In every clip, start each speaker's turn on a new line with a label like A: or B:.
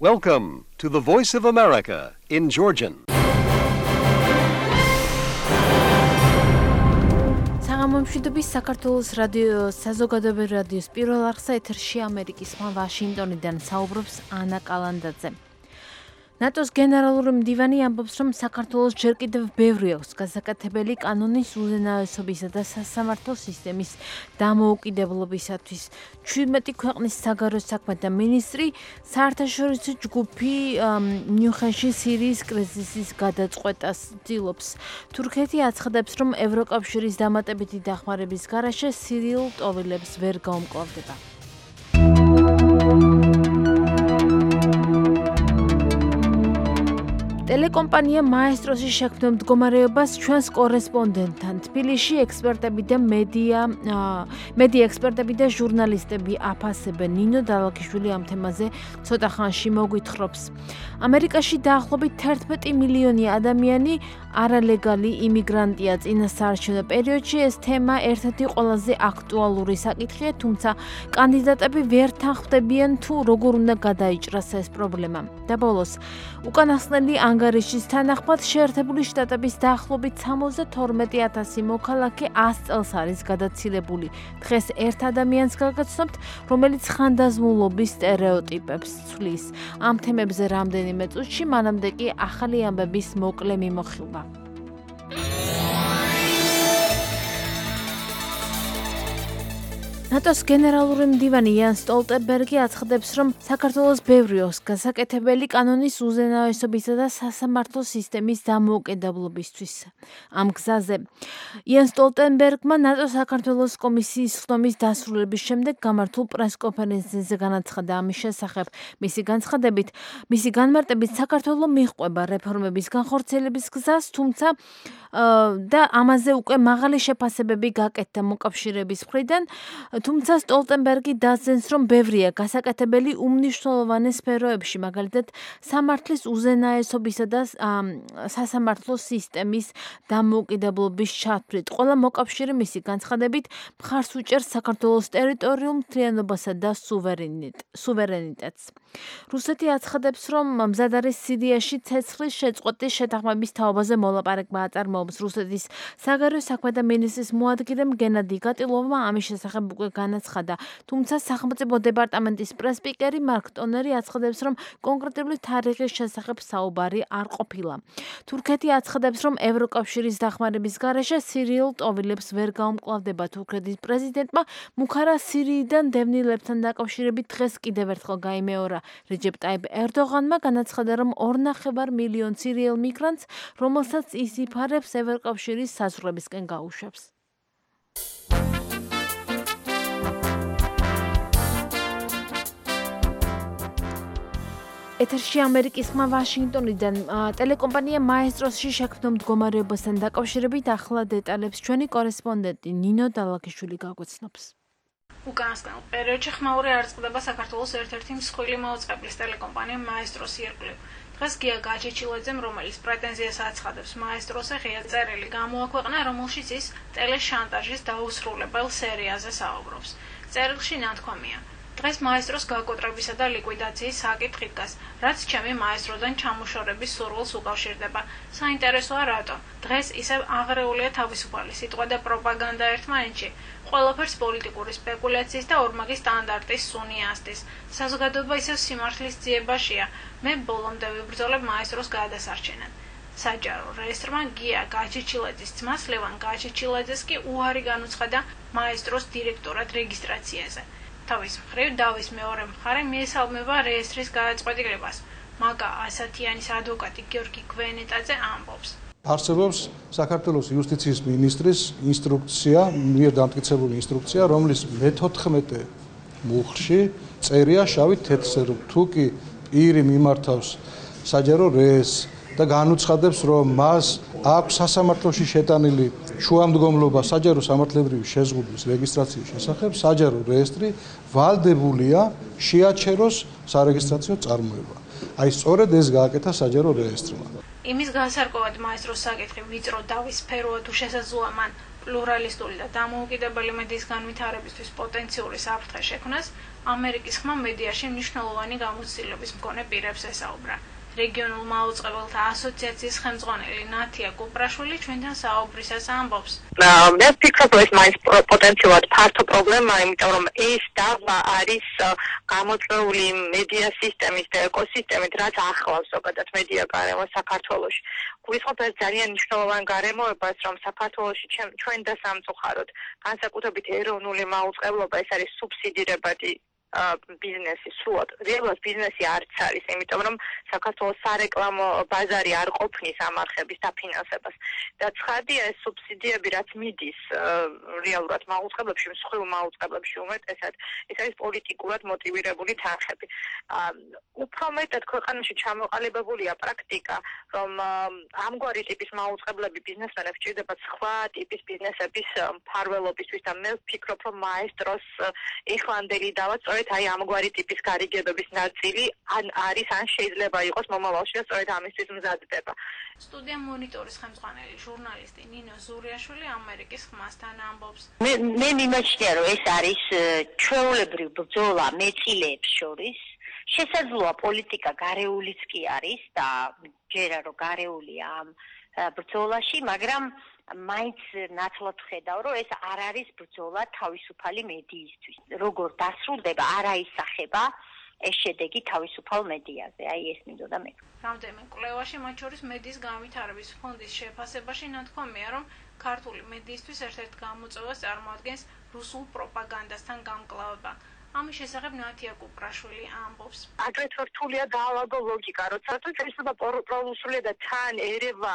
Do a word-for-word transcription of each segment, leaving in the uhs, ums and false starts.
A: Welcome to the Voice of America in Georgian.
B: საღამომშვიდობის საქართველოს რადიო საზოგადოებრივი რადიოს პირველ არხსა ეთერში ამერიკის ხმა ვაშინგტონიდან საუბრობს ანა კალანდაძე. ნატოს გენერალური მდივანი ამბობს, რომ საქართველოს ჯერ კიდევ ბევრი აქვს გასაკეთებელი კანონის უზენაესობისა და სასამართლო სისტემის დამოუკიდებლობისათვის. ჩვიდმეტი ქვეყნის საგარეო საქმეთა მინისტრი საერთაშორისო ჯგუფი მიუნხენში სირიის კრიზისის გადაწყვეტას ცდილობს. თურქეთი აცხადებს, რომ ევროკავშირის დამატებითი დახმარების გარეშე სირიულ ტოვილებს ვერ გაუმკლავდება. ტელეკომპანია მაესტროსი შექმნა მდგომარეობას ჩვენს კორესპონდენტთან. თბილისში ექსპერტები და მედია მედია ექსპერტები და ჟურნალისტები აფასებენ. ნინო დალაქიშვილი ამ თემაზე ცოტა ხანში მოგვითხრობს. ამერიკაში დაახლოებით თერთმეტი მილიონი ადამიანი არალეგალი იმიგრანტია წინა საარჩევნო პერიოდში. ეს თემა ერთ-ერთი ყველაზე აქტუალური საკითხია, თუმცა კანდიდატები ვერ თანხმდებიან თუ როგორ უნდა გადაიჭრას ეს პრობლემა. და ბოლოს უკანასკნელი ანგარიშის თანახმად შეერთებული შტატების დაახლოებით სამოცდათორმეტი ათასი მოქალაქე ას წელს არის გადაცილებული. დღეს ერთ ადამიანს გავგაცნობთ, რომელიც ხანდაზმულობის სტერეოტიპებს ცვლის. ამ თემებზე რამდენიმე წუთში, მანამდე კი ახალი ამბების მოკლე მიმოხილვა. ნატოს გენერალური მდივანი იან სტოლტენბერგი აცხადებს, რომ საქართველოს ბევრი აქვს გასაკეთებელი კანონის უზენაესობისა და სასამართლო სისტემის დამოუკიდებლობისთვის. ამ გზაზე იან სტოლტენბერგმა ნატოს საქართველოს კომისიის ხდომის დასრულების შემდეგ გამართულ პრესკონფერენციაზე განაცხადა ამის შესახებ. მისი განცხადებით, მისი განმარტებით საქართველო მიჰყვება რეფორმების განხორციელების გზას, თუმცა და ამაზე უკვე მაღალი შეფასებები გაკეთდა მოკავშირეების მხრიდან. თუმცა სტოლტენბერგი დასძენს, რომ ბევრია გასაკეთებელი უმნიშვნელოვანეს სფეროებში, მაგალითად სამართლის უზენაესობისა და სასამართლო სისტემის დამოუკიდებლობის ჩათვლით. ყველა მოკავშირე მისი განცხადებით მხარს უჭერს საქართველოს ტერიტორიულ მთლიანობასა და სუვერენიტეტს. რუსეთი აცხადებს, რომ მზად არის სირიაში ცეცხლის შეწყვეტის შეთანხმების თაობაზე მოლაპარაკება აწარმოებს. რუსეთის საგარეო საქმეთა მინისტრის მოადგილემ გენადი გატილოვმა ამის შესახებ უკვე განაცხადა, თუმცა სახელმწიფო დეპარტამენტის პრესპიკერი მარკ ტონერი აცხადებს, რომ კონკრეტული თარიღის შესახებ საუბარი არ ყოფილა. თურქეთი აცხადებს, რომ ევროკავშირის დახმარების გარეშე სირიულ ტოვილებს ვერ გაუმკლავდება. თურქეთის პრეზიდენტმა მუქარა სირიიდან დევნილებთან დაკავშირებით დღეს კიდევ ერთხელ გაიმეორა. რეჯეპ ტაიპ ერდოღანმა განაცხადა, რომ ორნახევარ მილიონ სირიელ მიგრანტს, რომელსაც ის იფარებს, ევროკავშირის საზღვრებისკენ გაუშვებს. ეთერში ამერიკის ხმა ვაშინგტონიდან. ტელეკომპანია მაესტროსში შექმნა მდგომარეობასთან დაკავშირებით ახლა დეტალებს ჩვენი კორესპონდენტი ნინო დალაქიშვილი გაგვეცნობს.
C: უკანასკნელ პერიოდში ხმაური არ წყდება საქართველოს ერთ-ერთი მსხვილი მაუწყებლის ტელეკომპანია მაესტროსი ირგვლივ. დღეს გია გაჩეჩილაძემ, რომელიც პრეტენზიას აცხადებს მაესტროსზე, ღია წერილი გამოაქვეყნა, რომელშიც ის ტელეშანტაჟის დაუსრულებელ სერიაზე საუბრობს. წერილში ნათქვამია: დღეს მაესტროს გაკოტრებისა და ლიკვიდაციის საკითხი დგას, რაც ჩემი მაესტროდან ჩამოშორების სურვილს უკავშირდება. საინტერესოა რატომ? დღეს ისევ აღრეულია თავისუფალი სიტყვა და პროპაგანდა ერთმანეთში. ყველაფერს პოლიტიკური სპეკულაციის და ორმაგი სტანდარტის სუნი ასდის. საზოგადოება ისევ სიმართლის ძიებაშია. მე ბოლომდე ვიბრძოლებ მაესტროს გადასარჩენად. საჯარო რეესტრმა გია გაჩეჩილაძის ძმას ლევან გაჩეჩილაძეს კი უარი განუცხადა მაესტროს დირექტორად რეგისტრაციაზე. თავის მხრივ დავის მეორე მხარე მიესალმება რეესტრის გადაწყვეტილებას. მაგა ასათიანის ადვოკატი გიორგი გვენეტაძე ამბობს:
D: არსებობს საქართველოს იუსტიციის მინისტრის ინსტრუქცია, მიერ დამტკიცებული ინსტრუქცია, რომლის მეთოთხმეტე მუხლში წერია შავით თეთრზე, თუ კი პირი მიმართავს საჯარო რეესტრს და განუცხადებს, რომ მას აქვს სასამართლოში შეტანილი შუამდგომლობა საჯარო სამართლებრივი შეზღუდვის რეგისტრაციის შესახებ, საჯარო რეესტრი ვალდებულია შეაჩეროს სარეგისტრაციო წარმოება. აი სწორედ ეს გააკეთა საჯარო რეესტრმა.
C: იმის განსაკუთრებით მაესტროს საკითხი ვიწრო დავის სფეროა თუ შესაძლოა მან პლურალისტური და დამოუკიდებელი მედიის განვითარებისთვის პოტენციური საფრთხე შექმნას, ამერიკის ხმა მედიაში მნიშვნელოვანი გამოცდილების მქონე პირებს ესაუბრა. რეგიონულ მაუწყებელთა ასოციაციის ხელმძღვანელი ნათია კუპრაშვილი ჩვენთან საუბრისას ამბობს.
E: მე ვფიქრობ, ეს მაინც პოტენციალურად ფართო პრობლემაა, იმიტომ რომ ეს დავა არის გამოწვეული მედია სისტემის და ეკოსისტემით, რაც ახლავს ზოგადად მედია გარემოს საქართველოში. გვიხსოვთ ეს ძალიან მნიშვნელოვან გარემოებას, რომ საქართველოში ჩვენ და სამწუხაროდ განსაკუთრებით ეროვნული მაუწყებლობა ეს არის სუბსიდირებადი ბიზნესი სრულად. რეალურად ბიზნესი არც არის, იმიტომ რომ საქართველოს სარეკლამო ბაზარი არ ყოფნის ამ არხების დაფინანსებას. და ცხადია ეს სუბსიდიები რაც მიდის რეალურად მაუწყებლებში, მსხვილ მაუწყებლებში უმეტესად, ეს არის პოლიტიკურად მოტივირებული თანხები. უფრო მეტად ქვეყანაში ჩამოყალიბებულია პრაქტიკა, რომ ამგვარი ტიპის მაუწყებლები ბიზნესმენებს ჭირდებათ სხვა ტიპის ბიზნესების მფარველობისთვის და მე ვფიქრობ, რომ მაესტროს ეხლანდელი დავა სწორედ აი ამგვარი ტიპის გარიგებების ნაწილი ან არის ან შეიძლება იყოს მომავალში და სწორედ ამისთვის მზადდება.
C: სტუდია მონიტორის ხელმძღვანელი ჟურნალისტი ნინო ზურიაშვილი ამერიკის ხმასთან ამბობს.
F: მე მე მიმაჩნია რომ ეს არის ჩვეულებრივ ბრძოლა მეტილეებს შორის. შესაძლოა პოლიტიკა გარეულიც კი არის და ჯერა რომ გარეულია ამ ბრძოლაში, მაგრამ მაინც ნაცვლად ხედავ, რომ ეს არ არის ბრძოლა თავისუფალი მედიისთვის. როგორ დასრულდება, არ აისახება ეს შედეგი თავისუფალ მედიაზე. აი ეს მინდოდა მე.
C: რამდენიმე კვლევაში, მათ შორის მედიის განვითარების ფონდის შეფასებაში ნათქვამია, რომ ქართული მედიისთვის ერთ-ერთ გამოწვევას წარმოადგენს რუსულ პროპაგანდასთან გამკლავება. ამის შესახებ ნათია კუპრაშვილი ამბობს.
E: აგრეთვე რთულია დაალაგო ლოგიკა, როცა თუ შეიძლება პრორუსულია და თან ერევა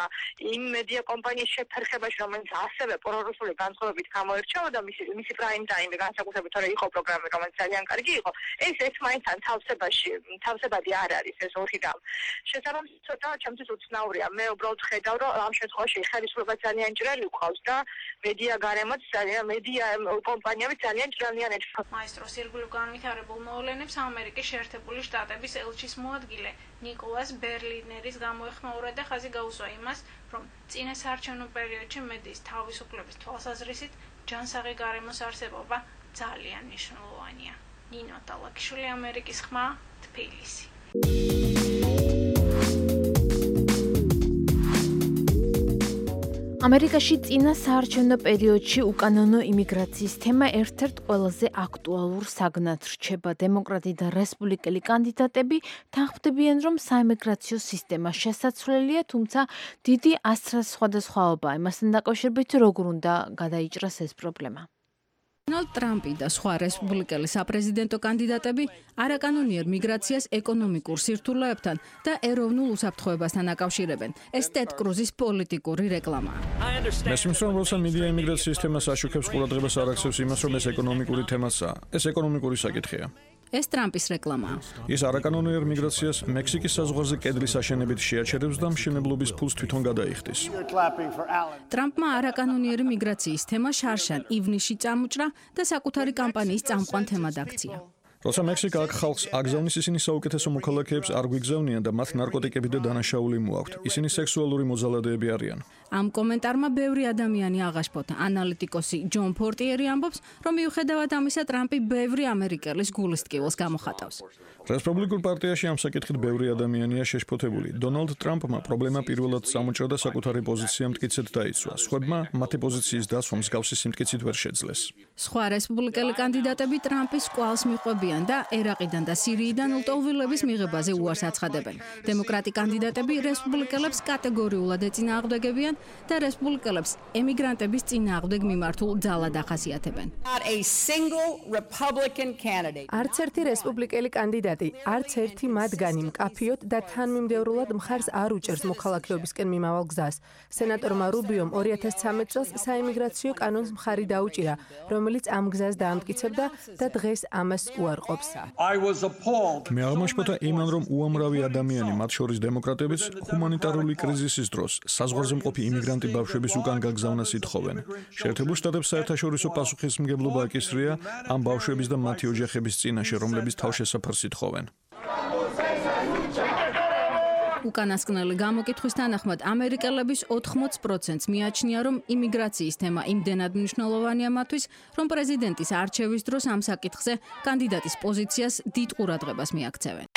E: იმ მედია კომპანიის შეფერხებაში, რომელიც ასევე პრორუსული განწყობებით გამოირჩეოდა, მისი მისი პრაიმ ტაიმი განსაკუთრებით თორე იყო პროგრამა, რომელიც ძალიან კარგი იყო. ეს ეს მაინც ან თავსებაში, თავსებადი არ არის ეს ორი რამ. შესაბამისად, ცოტა ჩემთვის უცნაურია. მე უბრალოდ ხედავ, რომ ამ შემთხვევაში ხელისუფლება ძალიან ჭრელი ყავს და მედია გარემოც ძალიან მედია კომპანიები ძალიან ჭრელიანად.
C: მაესტროს ირგვლივ განვითარებულ მოვლენებს ამერიკის შეერთებული შტატების ელჩის მოადგილე ნიკოლას ბერლინერის გამოეხმაურა და ხაზი გაუსვა იმას, რომ წინა საარჩევნო პერიოდში მედიის თავისუფლების თვალსაზრისით ჯანსაღი გარემოს არსებობა ძალიან მნიშვნელოვანია. ნინო ტალაკიშვილი, ამერიკის ხმა, თბილისი.
B: ამერიკაში წინა საარჩევნო პერიოდში უკანონო იმიგრაციის თემა ერთ-ერთ ყველაზე აქტუალურ საგნად რჩება. დემოკრატი და რესპუბლიკელი კანდიდატები თანხმდებიან, რომ საიმიგრაციო სისტემა შესაძლებელია, თუმცა დიდი ასრას სხვადასხვაობაა იმასთან დაკავშირებით, როგორ უნდა გადაიჭრას ეს პრობლემა.
G: დონალდ ტრამპი და სხვა რესპუბლიკელი საპრეზიდენტო კანდიდატები არაკანონიერ მიგრაციას ეკონომიკურ სირთულეებთან და ეროვნულ უსაფრთხოებასთან აკავშირებენ. ეს ტედ კრუზის პოლიტიკური რეკლამაა.
H: მესმის რომ როცა მედია იმიგრაციის თემას აშუქებს, ყურადღებას არ აქცევს იმას, რომ ეს ეკონომიკური თემასაა. ეს ეკონომიკური საკითხია.
G: ეს ტრამპის რეკლამაა.
H: ის არაკანონიერ მიგრაციას მექსიკის საზღვარზე კედლის აშენებით შეაჩერებს და მშენებლობის ფულს თვითონ გადაიხდის.
G: ტრამპმა არაკანონიერი მიგრაციის თემა შარშან ივნისში წამოჭრა და საკუთარი კამპანიის წამყვან თემად აქცია.
H: როცა მექსიკა აქ ხალხს აგზავნის, ისინი საუკეთესო მოქალაქეებს არ გვიგზავნიან და მათ ნარკოტიკები და დანაშაული მოაქვთ. ისინი სექსუალური მოძალადეები არიან.
G: ამ კომენტარმა ბევრი ადამიანი აღაშფოთა. ანალიტიკოსი ჯონ პორტიერი ამბობს, რომ მიუხედავად ამისა, ტრამპი ბევრი ამერიკელის გულისტკივილს გამოხატავს.
H: რესპუბლიკურ პარტიაში ამ საკითხით ბევრი ადამიანია შეშფოთებული. დონალდ ტრამპმა პრობლემა პირველად წამოჭრა და საკუთარი პოზიცია მტკიცედ დაიცვა. სხვებმა მათი პოზიციის დასვა მსგავსი სიმტკიცით ვერ შეძლეს.
G: სხვა რესპუბლიკელი კანდიდატები ტრამპის კვალს მიყვებიან და ერაყიდან და სირიიდან ლტოლვილების მიღებაზე უარს აცხადებენ. დემოკრატი კანდიდატები რესპუბლიკელებს კატეგორიულად ეწინააღმდეგებიან და რესპუბლიკელებს ემიგრანტების წინააღმდეგ მიმართულ ძალად ახასიათებენ.
I: არც ერთი რესპუბლიკელი კანდიდატი, არც ერთი მათგანი მკაფიოდ და თანმიმდევრულად მხარს არ უჭერს მოქალაქეობისკენ მიმავალ გზას. სენატორმა რუბიომ ორი ათას ცხრამეტ წელს საიმიგრაციო კანონს მხარი დაუჭირა, რომელიც ამ გზას დაამტკიცებდა და დღეს ამას უარყოფს.
H: მე აღმაშფოთა იმან, რომ უამრავი ადამიანი, მათ შორის დემოკრატებიც, ჰუმანიტარული კრიზისის დროს საზღვარზე მყოფი იმიგრანტი ბავშვების უკან გაგზავნას ითხოვენ. შეერთებულ შტატებს საერთაშორისო პასუხისმგებლობა აკისრია ამ ბავშვების და მათი ოჯახების წინაშე, რომლებიც თავშესაფარს ითხოვენ.
G: უკანასკნელი გამოკითხვის თანახმად ამერიკელების ოთხმოც პროცენტს მიაჩნია, რომ იმიგრაციის თემა იმდენად მნიშვნელოვანია მათთვის, რომ პრეზიდენტის არჩევის დროს ამ საკითხზე კანდიდატის პოზიციას დიდ ყურადღებას მიაქცევენ.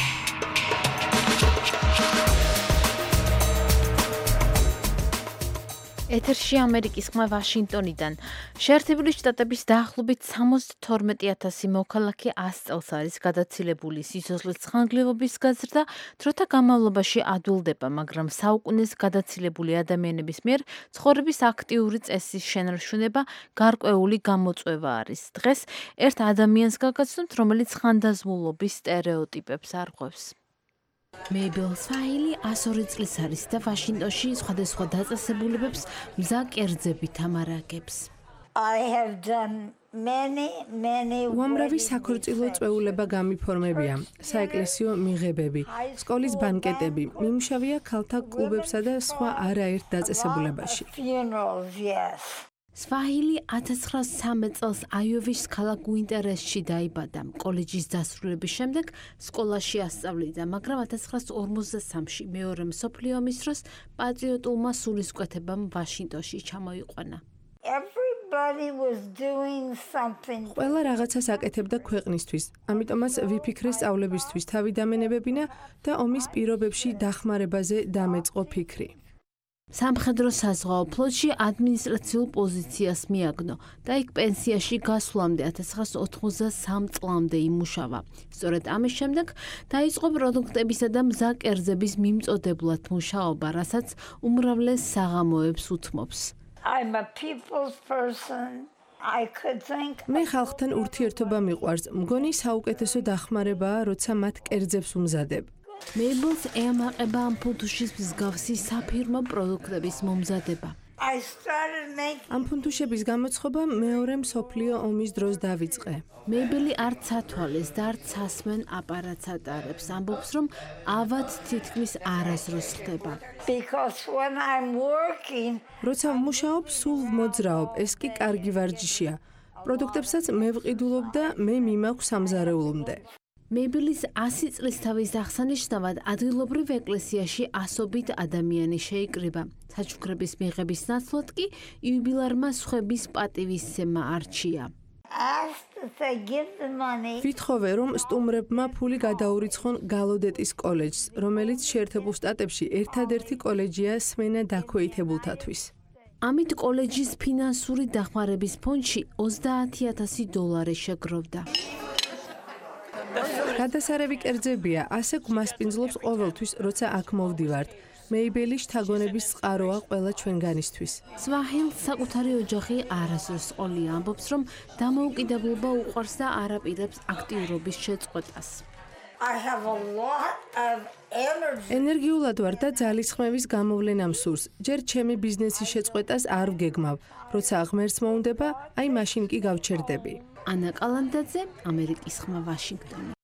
B: ეთერში ამერიკის ხმა ვაშინგტონიდან. შეერთებული შტატების დაახლოებით სამოცდათორმეტი ათასი მოქალაქე ას წელს არის გადაცილებული სიცოცხლის ხანგრძლივობის გაზრდა, დროთა განმავლობაში ადვილდება, მაგრამ საუკუნეს გადაცილებული ადამიანების მიერ ცხოვრების აქტიური წესის შენარჩუნება გარკვეული გამოწვევა არის. დღეს ერთ ადამიანს გაგაცნობთ, რომელიც ხანდაზმულობის სტერეოტიპებს არღვევს. მეიბელ სვაილი ასორი წლის არის და ვაშინგტონში სხვადასხვა დაწესებულებებს მზა კერძებით ამარაგებს.
I: უამრავი საქორწილო წვეულება გამიფორმებია, საეკლესიო მიღებები, სკოლის ბანკეტები, მიმუშავია ქალთა კლუბებსა და სხვა არაერთ დაწესებულებაში.
B: სვაილი ათას ცხრაასი სამი წელს აიოვის ქალაქ უინტერესში დაიბადა. კოლეჯის დასრულების შემდეგ სკოლაში ასწავლიდა, მაგრამ ათას ცხრაასი ორმოცდასამში მეორე მსოფლიო ომის დროს პატრიოტულმა სულისკვეთებამ ვაშინგტონში ჩამოიყვანა.
I: ყველა რაღაცას აკეთებდა ქვეყნისთვის, ამიტომაც ვიფიქრე სწავლებისთვის თავი დამენებებინა და ომის პირობებში დახმარებაზე დამეწყო ფიქრი.
B: სამხედრო საზღვაო ფლოტში ადმინისტრაციულ პოზიციას მიაგნო და იქ პენსიაში გასვლამდე ათას ცხრაასი ოთხმოცდასამი წლამდე იმუშავა. სწორედ ამის შემდეგ დაიწყო პროდუქტებისა და მზა კერძების მიმწოდებლად მუშაობა, რასაც უმრავლეს საღამოებს უთმობს.
I: მე ხალხთან ურთიერთობა მიყვარს, მგონი საუკეთესო დახმარებაა, როცა მათ კერძებს უმზადებ.
B: მეიბელს ეამაყება ამ ფუნთუშის მსგავსი საფირმო პროდუქტების მომზადება.
I: ამ ფუნთუშების გამოცხობა მეორე მსოფლიო ომის დროს დავიწყე.
B: მეიბელი არც ათვალეს და არც ასმენ აპარატს ატარებს, ამბობს, რომ ავად თითქმის არასდროს ხდება.
I: როცა ვმუშაობ, სულ ვმოძრაობ, ეს კი კარგი ვარჯიშია. პროდუქტებსაც მე ვყიდულობ და მე მიმაქვს სამზარეულომდე.
B: მეიბელის ასი წლის თავის აღსანიშნავად ადგილობრივ ეკლესიაში ასობით ადამიანი შეიკრიბა. საჩუქრების მიღების ნაცვლად კი იუბილარმა სხვების პატივისცემა არჩია.
I: ვითხოვე, რომ სტუმრებმა ფული გადაურიცხონ გალოდეტის კოლეჯს, რომელიც შეერთებულ შტატებში ერთადერთი კოლეჯია სმენა დაქვეითებულთათვის.
B: ამით კოლეჯის ფინანსური დახმარების ფონდში ოცდაათი ათასი დოლარი შეგროვდა.
I: გადასარევი კერძებია, ასე გვმასპინძლობს ყოველთვის, როცა აქ მოვდივართ. მეიბელი შთაგონების წყაროა ყველა ჩვენგანისთვის.
B: სვაჰილს საკუთარი ოჯახი არასდროს ყოლია, ამბობს, რომ დამოუკიდებლობა უყვარს და არ აპირებს აქტიურობის შეწყვეტას.
I: ენერგიულად ვარ და ძალისხმევის გამოვლენა მსურს. ჯერ ჩემი ბიზნესის შეწყვეტას არ ვგეგმავ. როცა ღმერთს მოუნდება, აი მაშინ კი გავჩერდები.
B: ანა კალანდაძე, ამერიკის ხმა ვაშინგტონი.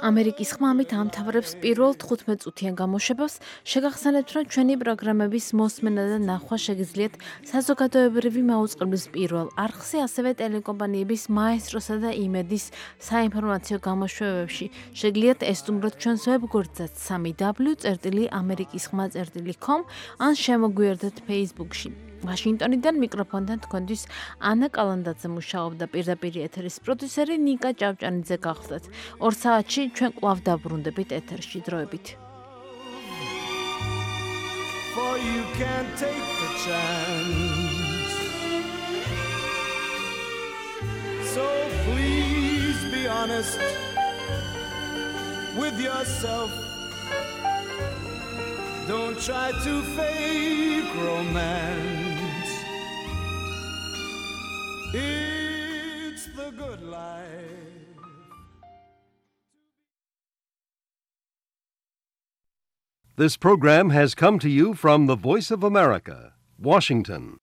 B: ამერიკის ხმამით ამთავრებს პირველ თხუთმეტ წუთიან გამოშვებას. შეგახსენებთ, რომ ჩვენი პროგრამების მოსმენა და ნახვა შეგიძლიათ საზოგადოებრივი მაუწყებლის პირველ არხზე, ასევე ტელეკომპანიების მაესტროსა და იმედის საინფორმაციო გამოშვებებში. შეგიძლიათ ესტუმროთ ჩვენს ვებგვერდსაც სამი დაბლიუ წერტილი ამერიკის ხმა წერტილი კომ ან შემოგვიერთდეთ Facebook-ში. ვაშინგტონიდან მიკროფონთან თქვენთვის ანა კალანდაძე მუშაობდა, პირდაპირ ეთერის პროდიუსერი ნიკა ჭავჭანიძე გახლდათ. ორ საათში ჩვენ კვლავ დაბრუნდებით ეთერში დროებით. For you can't take the chance. So please be honest with yourself. Don't try to fake romance. It's the good life.
A: This program has come to you from the Voice of America, Washington.